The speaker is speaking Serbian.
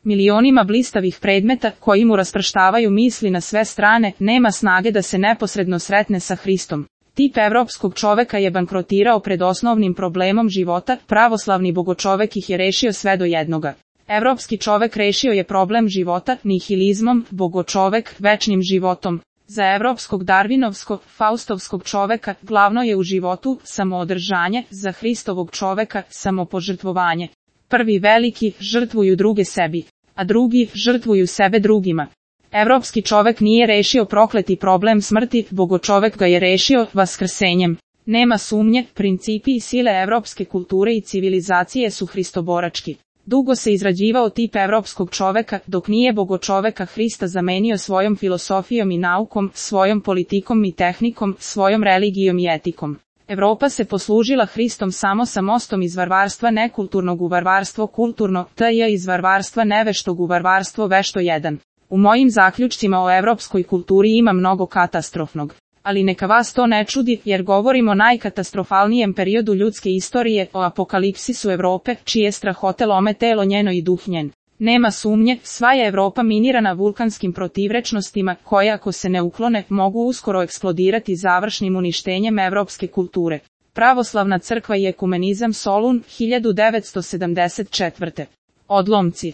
milionima blistavih predmeta koji mu rasprštavaju misli na sve strane, nema snage da se neposredno sretne sa Hristom. Tip evropskog čoveka je bankrotirao pred osnovnim problemom života, pravoslavni bogočovek ih je rešio sve do jednoga. Evropski čovek rešio je problem života nihilizmom, bogočovek večnim životom. Za evropskog darvinovskog, faustovskog čoveka glavno je u životu samoodržanje, za Hristovog čoveka samopožrtvovanje. Prvi veliki žrtvuju druge sebi, a drugi žrtvuju sebe drugima. Evropski čovek nije rešio prokleti problem smrti, bogočovek ga je rešio vaskrsenjem. Nema sumnje, principi i sile evropske kulture i civilizacije su hristoborački. Dugo se izrađivao tip evropskog čoveka, dok nije bogočoveka Hrista zamenio svojom filosofijom i naukom, svojom politikom i tehnikom, svojom religijom i etikom. Evropa se poslužila Hristom samo sa mostom iz varvarstva nekulturnog u varvarstvo kulturno, t.j. iz varvarstva neveštog u varvarstvo vešto jedan. U mojim zaključcima o evropskoj kulturi ima mnogo katastrofnog. Ali neka vas to ne čudi, jer govorimo o najkatastrofalnijem periodu ljudske istorije, o apokalipsisu Evrope, čije strahote lome telo njeno i duh njen. Nema sumnje, sva je Evropa minirana vulkanskim protivrečnostima, koje ako se ne uklone, mogu uskoro eksplodirati završnim uništenjem evropske kulture. Pravoslavna crkva i ekumenizam Solun, 1974. Odlomci.